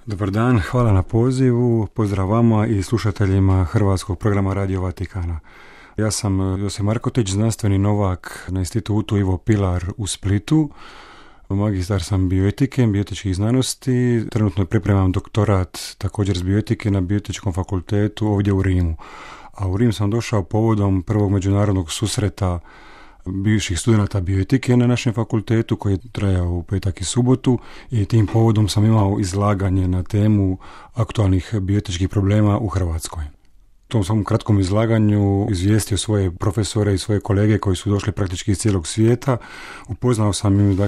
Dobar dan, hvala na pozivu, pozdrav vama i slušateljima Hrvatskog programa Radio Vatikana. Ja sam Josip Markotić, znanstveni novak na institutu Ivo Pilar u Splitu. Magistar sam bioetike, bioetičkih znanosti. Trenutno pripremam doktorat također iz bioetike na Bioetičkom fakultetu ovdje u Rimu. A u Rim sam došao povodom prvog međunarodnog susreta bivših studenata bioetike na našem fakultetu koji je trajao u petak i subotu i tim povodom sam imao izlaganje na temu aktualnih bioetičkih problema u Hrvatskoj. U tom svom kratkom izlaganju izvijestio svoje profesore i svoje kolege koji su došli praktički iz cijelog svijeta. Upoznao sam im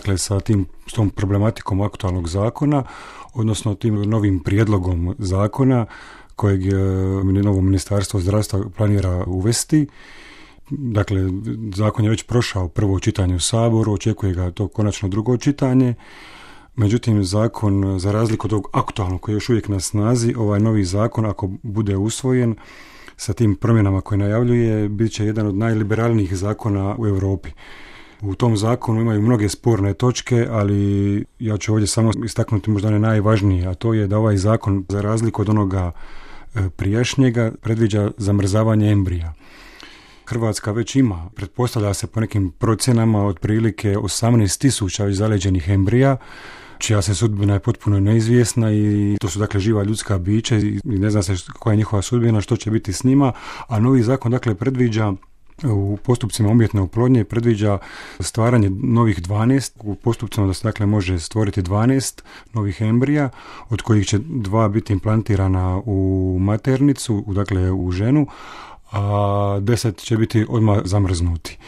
s tom problematikom aktualnog zakona, odnosno tim novim prijedlogom zakona kojeg novo Ministarstvo zdravstva planira uvesti. Dakle, zakon je već prošao prvo čitanje u Saboru, očekuje ga to konačno drugo čitanje. Međutim, zakon, za razliku od ovog aktualnog koji je još uvijek na snazi, ovaj novi zakon, ako bude usvojen sa tim promjenama koje najavljuje, bit će jedan od najliberalnijih zakona u Europi. U tom zakonu imaju mnoge sporne točke, ali ja ću ovdje samo istaknuti možda one najvažnije, a to je da ovaj zakon, za razliku od onoga prijašnjega, predviđa zamrzavanje embrija. Hrvatska već ima, pretpostavlja se po nekim procjenama, otprilike 18.000 već zaleđenih embrija, čija se sudbina je potpuno neizvjesna i to su dakle živa ljudska bića i ne zna se koja je njihova sudbina, što će biti s njima, a novi zakon dakle predviđa u postupcima umjetne oplodnje predviđa stvaranje novih 12, u postupcima da se dakle može stvoriti 12 novih embrija, od kojih će 2 biti implantirana u maternicu, dakle u ženu, a 10 će biti odmah zamrznuti.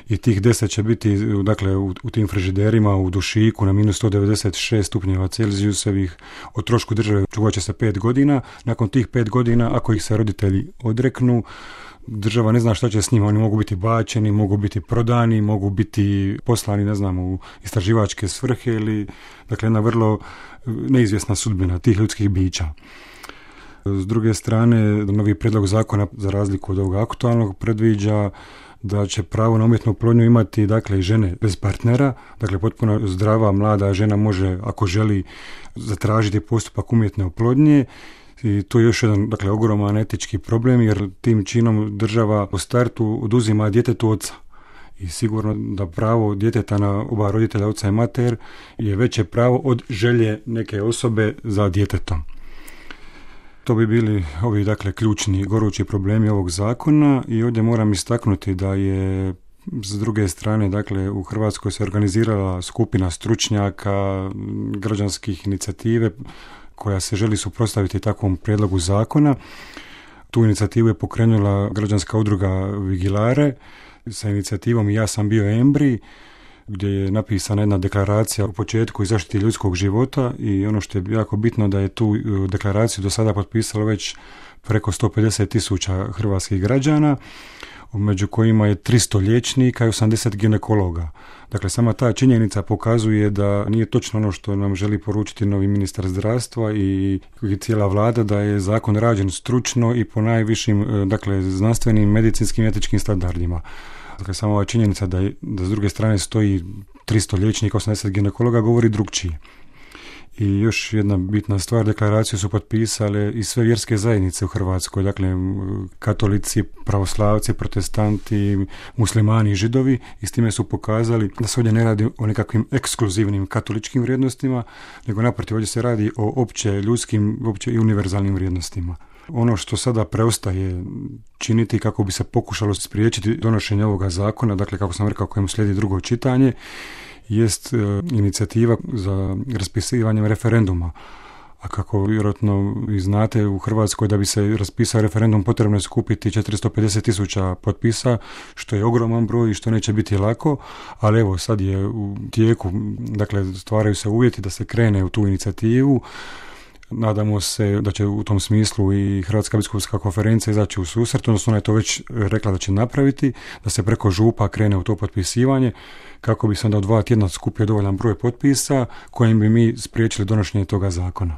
I tih 10 će biti dakle, u tim frižiderima u dušiku na minus 196 stupnjeva Celzijusovih. O trošku države čuvat će se 5 godina. Nakon tih 5 godina, ako ih se roditelji odreknu, država ne zna šta će s njima. Oni mogu biti bačeni, mogu biti prodani, mogu biti poslani, ne znam, u istraživačke svrhe ili, dakle, jedna vrlo neizvjesna sudbina tih ljudskih bića. S druge strane, novi prijedlog zakona, za razliku od ovog aktualnog, predviđa da će pravo na umjetnu oplodnju imati dakle i žene bez partnera, dakle potpuno zdrava mlada žena može, ako želi, zatražiti postupak umjetne oplodnje. I to je još jedan dakle ogroman etički problem, jer tim činom država u startu oduzima djetetu oca. I sigurno da pravo djeteta na oba roditelja, oca i mater, je veće pravo od želje neke osobe za djetetom. To bi bili ovi dakle ključni gorući problemi ovog zakona i ovdje moram istaknuti da je s druge strane dakle u Hrvatskoj se organizirala skupina stručnjaka, građanskih inicijative koja se želi suprotstaviti takvom prijedlogu zakona. Tu inicijativu je pokrenula građanska udruga Vigilare sa inicijativom Ja sam bio embrij, gdje je napisana jedna deklaracija u početku i zaštiti ljudskog života i ono što je jako bitno da je tu deklaraciju do sada potpisalo već preko 150.000 hrvatskih građana, među kojima je 300 liječnika i 80 ginekologa. Dakle, sama ta činjenica pokazuje da nije točno ono što nam želi poručiti novi ministar zdravstva i cijela vlada, da je zakon rađen stručno i po najvišim dakle, znanstvenim, medicinskim i etičkim standardima. Dakle, samo ova činjenica da s druge strane stoji 300 liječnika, 80 ginekologa govori drugčije. I još jedna bitna stvar, deklaraciju su potpisale i sve vjerske zajednice u Hrvatskoj, dakle katolici, pravoslavci, protestanti, muslimani i židovi, i s time su pokazali da se ovdje ne radi o nekakvim ekskluzivnim katoličkim vrijednostima, nego naprotiv ovdje se radi o opće ljudskim, opće i univerzalnim vrijednostima. Ono što sada preostaje činiti kako bi se pokušalo spriječiti donošenje ovoga zakona, dakle kako sam rekao kojem slijedi drugo čitanje, jest inicijativa za raspisivanjem referenduma. A kako vjerojatno vi znate, u Hrvatskoj da bi se raspisao referendum potrebno je skupiti 450.000 potpisa, što je ogroman broj i što neće biti lako, ali evo sad je u tijeku, dakle stvaraju se uvjeti da se krene u tu inicijativu. Nadamo se da će u tom smislu i Hrvatska biskupska konferencija izaći u susret, odnosno ona je to već rekla da će napraviti, da se preko župa krene u to potpisivanje, kako bi se onda u 2 tjedna skupio dovoljan broj potpisa kojim bi mi spriječili donošenje toga zakona.